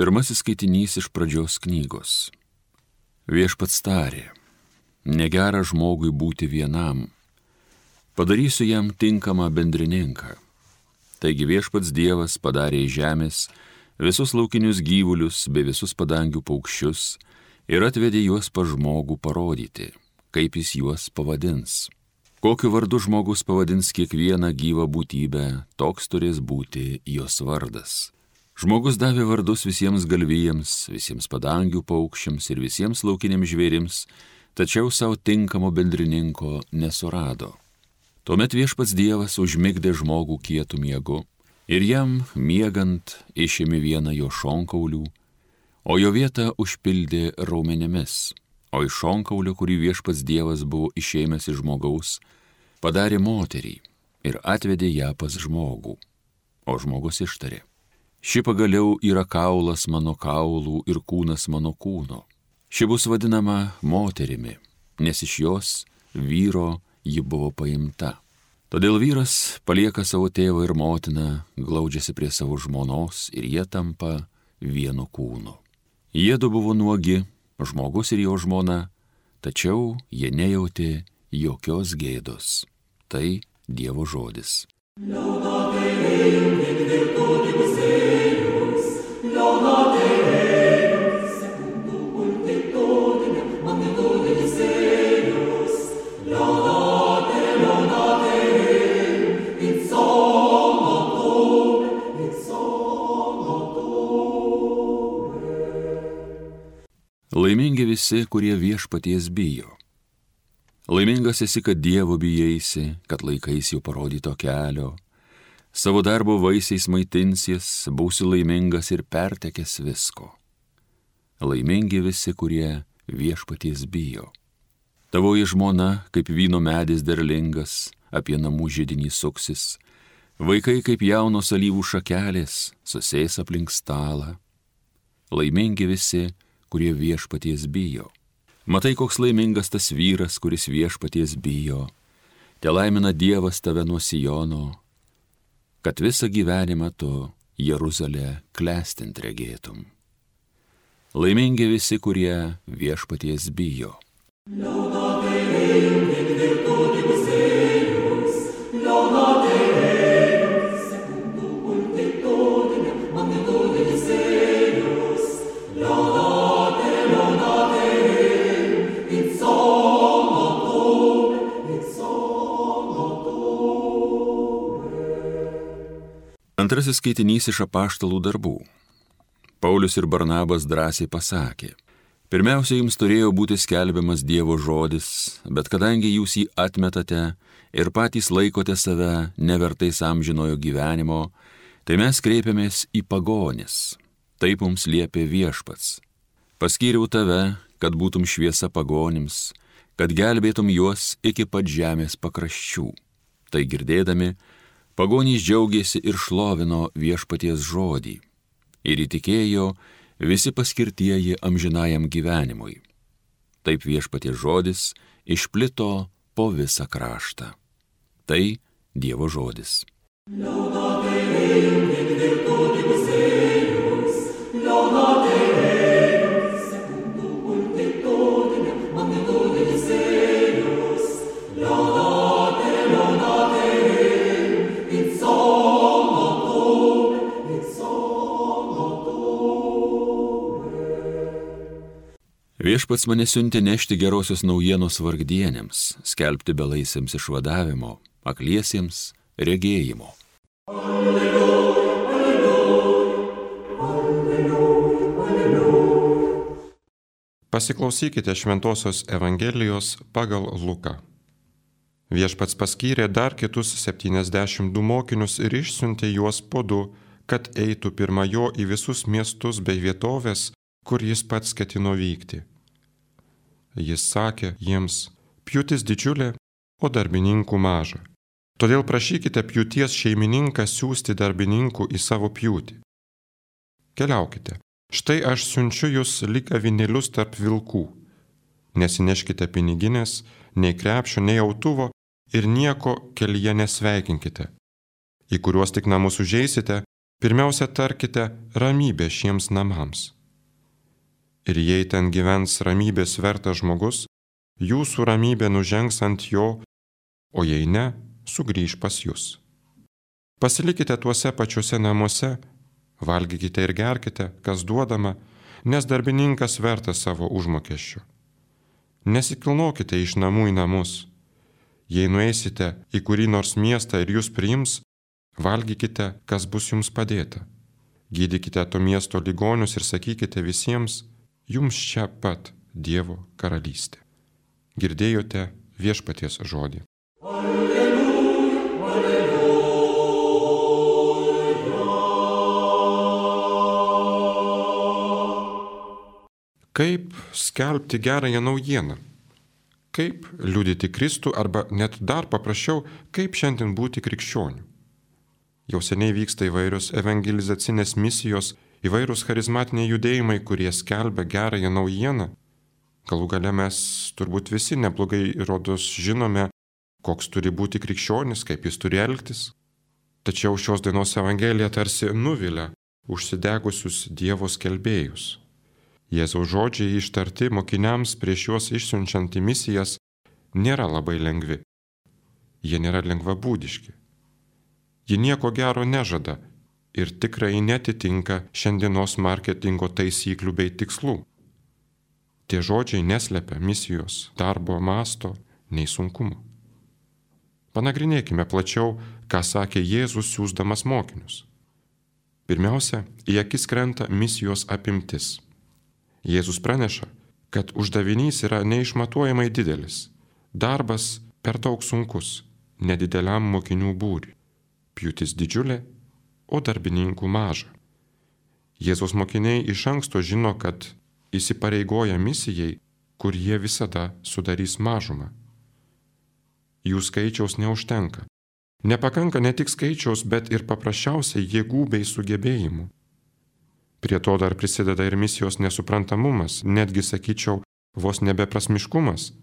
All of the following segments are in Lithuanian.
Pirmasis skaitinys iš pradžios knygos. Viešpats tarė, negera žmogui būti vienam, padarysiu jam tinkamą bendrininką. Taigi viešpats Dievas padarė iš žemės visus laukinius gyvulius bei visus padangių paukščius ir atvedė juos pas žmogų parodyti, kaip jis juos pavadins. Kokiu vardu žmogus pavadins kiekvieną gyvą būtybę, toks turės būti jos vardas. Žmogus davė vardus visiems galvijams, visiems padangių paukščiams ir visiems laukiniams žvėrims, tačiau savo tinkamo bendrininko nesurado. Tuomet viešpats Dievas užmigdė žmogų kietų miegu ir jam miegant išėmė vieną jo šonkaulių, o jo vietą užpildė raumenimis, o iš šonkaulio, kurį viešpats Dievas buvo išėmęs iš žmogaus, padarė moterį ir atvedė ją pas žmogų. O žmogus ištarė, ši pagaliau yra kaulas mano kaulų ir kūnas mano kūno. Ši bus vadinama moterimi, nes iš jos vyro ji buvo paimta. Todėl vyras palieka savo tėvą ir motiną, glaudžiasi prie savo žmonos ir jie tampa vienu kūnu. Jiedu buvo nuogi, žmogus ir jo žmona, tačiau jie nejautė jokios gėdos. Tai Dievo žodis. Laimingi visi, kurie viešpaties bijo. Laimingas esi, kad Dievo bijaisi, kad laikaisi jo parodyto kelio. Savo darbo vaisiais maitinsies, būsi laimingas ir pertekęs visko. Laimingi visi, kurie viešpaties bijo. Tavoji žmona, kaip vyno medis derlingas, apie namų židinį suksis. Vaikai, kaip jaunos alyvų šakelės, susės aplink stalą. Laimingi visi, kurie viešpaties bijo. Matai, koks laimingas tas vyras, kuris viešpaties bijo. Te laimina Dievas tave nuo Sijono, kad visą gyvenimą tu Jeruzalę klestint regėtum. Laimingi visi, kurie viešpaties bijo. Antrasis skaitinys iš apaštalų darbų. Paulius ir Barnabas drąsiai pasakė, pirmiausia, jums turėjo būti skelbiamas Dievo žodis, bet kadangi jūs jį atmetate ir patys laikote save nevertais amžinojo gyvenimo, tai mes kreipiamės į pagonis. Taip mums liepė viešpats. Paskyriau tave, kad būtum šviesa pagonims, kad gelbėtum juos iki pat žemės pakraščių. Tai girdėdami, pagonys džiaugėsi ir šlovino viešpaties žodį ir įtikėjo visi paskirtieji amžinajam gyvenimui. Taip viešpaties žodis išplito po visą kraštą. Tai Dievo žodis. Viešpats mane siuntė nešti gerosios naujienos vargdienėms, skelbti belaisėms išvadavimo, akliesiems regėjimo. Alleluja, alleluja, alleluja, alleluja. Pasiklausykite Šventosios Evangelijos pagal Luką. Viešpats paskyrė dar kitus 72 mokinius ir išsiuntė juos po 2, kad eitų pirma jo į visus miestus bei vietovės, kur jis pats ketino vykti. Jis sakė jiems, pjūtis didžiulė, o darbininkų maža. Todėl prašykite pjūties šeimininką siųsti darbininkų į savo pjūtį. Keliaukite, štai aš siunčiu jūs lyg avinėlius tarp vilkų. Nesineškite piniginės, nei krepšio, nei autuvo ir nieko kelyje nesveikinkite. Į kuriuos tik namus užeisite, pirmiausia tarkite ramybė šiems namams. Ir jei ten gyvens ramybės vertas žmogus, jūsų ramybė nužengs ant jo, o jei ne, sugrįž pas jūs. Pasilikite tuose pačiuose namuose, valgykite ir gerkite, kas duodama, nes darbininkas vertas savo užmokesčio. Nesikilnokite iš namų į namus. Jei nueisite į kurį nors miestą ir jūs priims, valgykite, kas bus jums padėta. Gydykite to miesto ligonius ir sakykite visiems, jums čia pat Dievo karalystė. Girdėjote Viešpaties žodį. Kaip skelbti gerąją naujieną? Kaip liudyti Kristų arba net dar paprasčiau, kaip šiandien būti krikščioniu? Jau seniai vyksta įvairios evangelizacinės misijos, įvairūs charizmatiniai judėjimai, kurie skelbia gerąją naujieną. Galų gale mes turbūt visi neblogai rodos žinome, koks turi būti krikščionis, kaip jis turi elgtis. Tačiau šios dienos evangelija tarsi nuvilia užsidegusius Dievo skelbėjus. Jėzaus žodžiai ištarti mokiniams prieš juos išsiunčiant į misijas nėra labai lengvi. Jie nėra lengvabūdiški. Ji nieko gero nežada ir tikrai netitinka šiandienos marketingo taisyklių bei tikslų. Tie žodžiai neslepia misijos, darbo masto, nei sunkumo. Panagrinėkime plačiau, ką sakė Jėzus siųsdamas mokinius. Pirmiausia, į akis krenta misijos apimtis. Jėzus praneša, kad uždavinys yra neišmatuojamai didelis, darbas per daug sunkus, nedideliam mokinių būriui, pjūtis didžiulė, o darbininkų maža. Jėzaus mokiniai iš anksto žino, kad įsipareigoja misijai, kur jie visada sudarys mažumą. Jų skaičiaus neužtenka. Nepakanka ne tik skaičiaus, bet ir paprasčiausiai jėgų bei sugebėjimų. Prie to dar prisideda ir misijos nesuprantamumas, netgi sakyčiau, vos nebeprasmiškumas.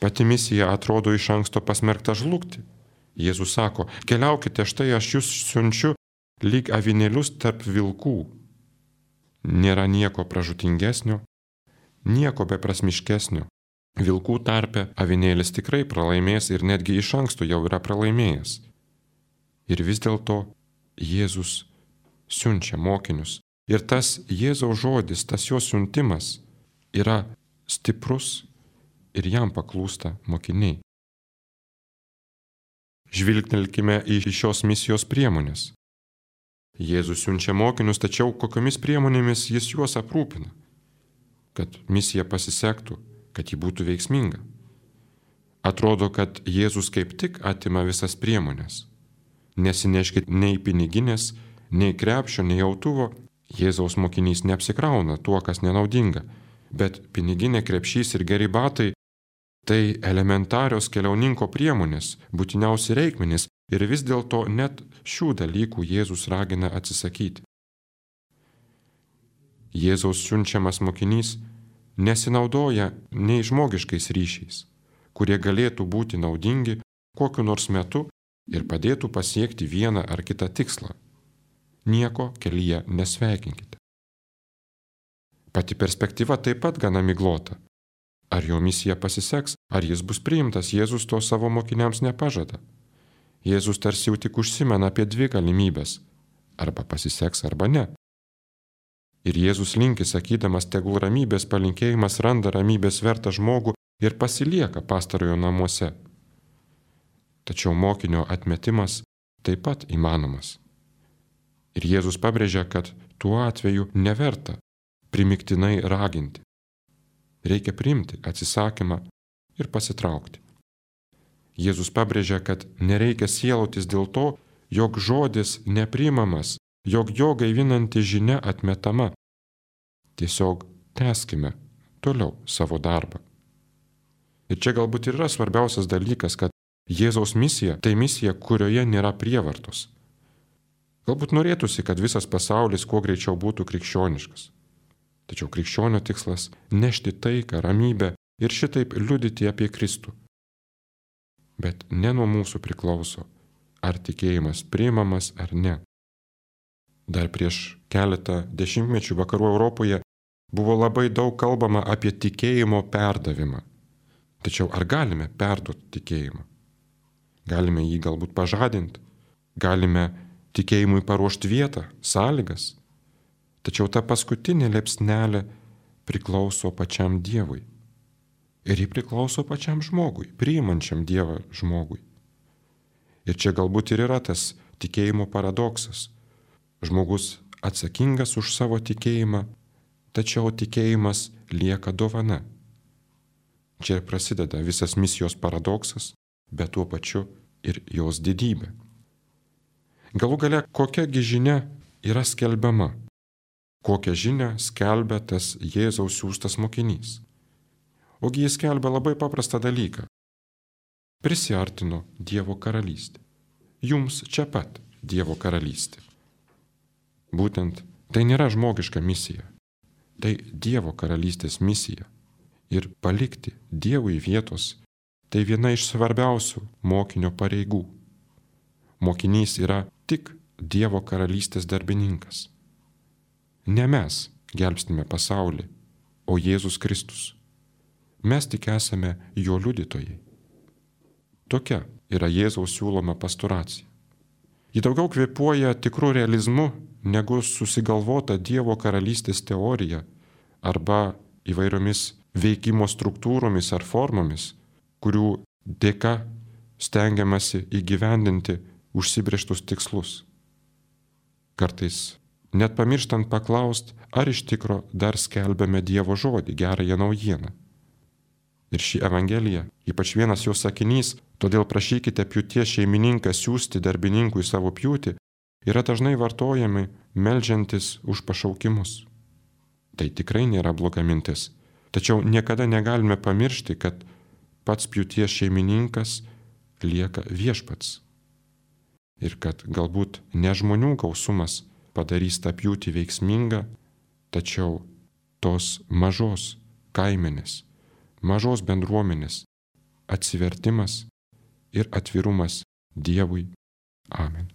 Pati misija atrodo iš anksto pasmerkta žlugti. Jėzus sako, keliaukite, štai aš jūs siunčiu lyg avinėlius tarp vilkų. Nėra nieko pražūtingesnio, nieko beprasmiškesnio. Vilkų tarpe avinėlis tikrai pralaimės ir netgi iš anksto jau yra pralaimėjęs. Ir vis dėlto Jėzus siunčia mokinius. Ir tas Jėzaus žodis, tas jo siuntimas yra stiprus ir jam paklūsta mokiniai. Žvilgtelkime į šios misijos priemonės. Jėzus siunčia mokinius, tačiau kokiomis priemonėmis jis juos aprūpina, kad misija pasisektų, kad ji būtų veiksminga. Atrodo, kad Jėzus kaip tik atima visas priemonės. Nesineškit nei piniginės, nei krepšio, nei autuvo. Jėzaus mokinys neapsikrauna tuo, kas nenaudinga, bet piniginė, krepšys ir geri batai – tai elementarios keliauninko priemonės, būtiniausi reikmenys ir vis dėlto net šių dalykų Jėzus ragina atsisakyti. Jėzaus siunčiamas mokinys nesinaudoja nei žmogiškais ryšiais, kurie galėtų būti naudingi kokiu nors metu ir padėtų pasiekti vieną ar kitą tikslą. Nieko kelyje nesveikinkite. Pati perspektyva taip pat gana miglota. Ar jo misija pasiseks, ar jis bus priimtas, Jėzus to savo mokiniams nepažada. Jėzus tarsi jau tik užsimena apie dvi galimybės – arba pasiseks, arba ne. Ir Jėzus linki, sakydamas, tegul ramybės palinkėjimas randa ramybės vertą žmogų ir pasilieka pastarojo namuose. Tačiau mokinio atmetimas taip pat įmanomas. Ir Jėzus pabrėžia, kad tuo atveju neverta primiktinai raginti. Reikia priimti atsisakymą ir pasitraukti. Jėzus pabrėžia, kad nereikia sielotis dėl to, jog žodis nepriimamas, jog jo gaivinanti žinia atmetama. Tiesiog tęskime toliau savo darbą. Ir čia galbūt ir yra svarbiausias dalykas, kad Jėzaus misija – tai misija, kurioje nėra prievartos. Galbūt norėtųsi, kad visas pasaulis kuo greičiau būtų krikščioniškas. Tačiau krikščionio tikslas – nešti taiką, ramybę ir šitaip liudyti apie Kristų. Bet ne nuo mūsų priklauso, ar tikėjimas priimamas ar ne. Dar prieš keletą dešimtmečių vakarų Europoje buvo labai daug kalbama apie tikėjimo perdavimą. Tačiau ar galime perduoti tikėjimą? Galime jį galbūt pažadinti, galime tikėjimui paruošti vietą, sąlygas. Tačiau ta paskutinė liepsnelė priklauso pačiam Dievui. Ir ji priklauso pačiam žmogui, priimančiam Dievą žmogui. Ir čia galbūt ir yra tas tikėjimo paradoksas. Žmogus atsakingas už savo tikėjimą, tačiau tikėjimas lieka dovana. Čia prasideda visas misijos paradoksas, bet tuo pačiu ir jos didybė. Galų gale, kokiagi žinia yra skelbiama? Kokią žinią skelbia tas Jėzaus siųstas mokinys? Ogi jis skelbia labai paprastą dalyką. Prisiartino Dievo karalystė. Jums čia pat Dievo karalystė. Būtent tai nėra žmogiška misija. Tai Dievo karalystės misija. Ir palikti Dievui vietos – tai viena iš svarbiausių mokinio pareigų. Mokinys yra tik Dievo karalystės darbininkas. Ne mes gelbstime pasaulį, o Jėzus Kristus. Mes tik esame jo liudytojai. Tokia yra Jėzaus siūloma pastoracija. Ji daugiau kvėpuoja tikrų realizmu, negu susigalvota Dievo karalystės teorija arba įvairiomis veikimo struktūromis ar formomis, kurių dėka stengiamasi įgyvendinti užsibrėžtus tikslus. Kartais net pamirštant paklaust, ar iš tikro dar skelbiame Dievo žodį, gerąją naujieną. Ir ši Evangelija, ypač vienas jos sakinys, todėl prašykite pjūties šeimininką siųsti darbininkui savo pjūtį, yra dažnai vartojami meldžiantis už pašaukimus. Tai tikrai nėra bloga mintis, tačiau niekada negalime pamiršti, kad pats pjūties šeimininkas lieka viešpats. Ir kad galbūt ne žmonių gausumas padarys tą pjūtį veiksmingą, tačiau tos mažos kaimenės, mažos bendruomenės atsivertimas ir atvirumas Dievui. Amen.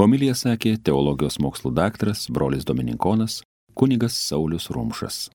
Homiliją sakė teologijos mokslų daktaras, brolis dominikonas, kunigas Saulius Rumšas.